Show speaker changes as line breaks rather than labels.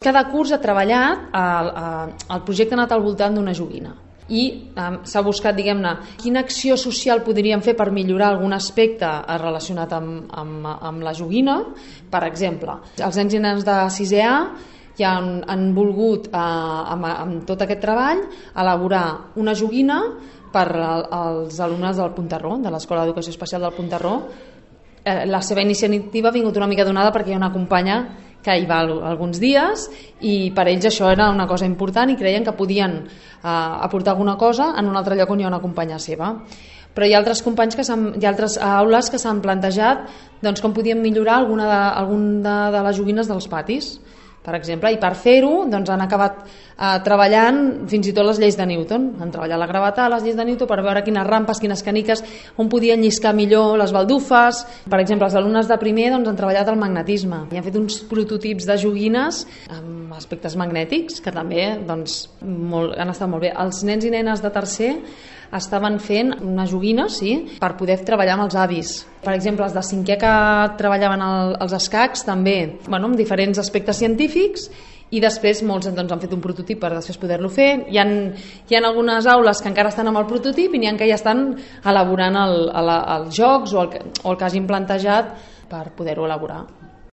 Cada curs ha treballat, el projecte ha anat al voltant d'una joguina i s'ha buscat, diguem-ne, quina acció social podríem fer per millorar algun aspecte relacionat amb la joguina. Per exemple, els nens i nenes de 6è A ja han volgut, amb tot aquest treball, elaborar una joguina per als alumnes del Puntarró, de l'Escola d'Educació Especial del Puntarró. La seva iniciativa ha vingut una mica donada perquè hi ha una companya que hi va alguns dies i per ells això era una cosa important i creien que podien aportar alguna cosa en un altre lloc on hi ha una companya seva. Però hi ha altres companys hi ha altres aules que s'han plantejat com podien millorar alguna de les joguines dels patis, per exemple, i per fer-ho han acabat treballant fins i tot les lleis de Newton. Han treballat la gravetat, les lleis de Newton, per veure quines rampes, quines caniques, on podien lliscar millor les baldufes. Per exemple, els alumnes de primer han treballat el magnetisme i han fet uns prototips de joguines amb aspectes magnètics que també han estat molt bé. Els nens i nenes de tercer estaven fent una joguina, per poder treballar amb els avis. Per exemple, els de 5è que treballaven els escacs també, amb diferents aspectes científics, i després molts han fet un prototip per després poder-lo fer. Hi ha algunes aules que encara estan amb el prototip i n'hi ha que ja estan elaborant els jocs o el que hagin plantejat per poder-ho elaborar.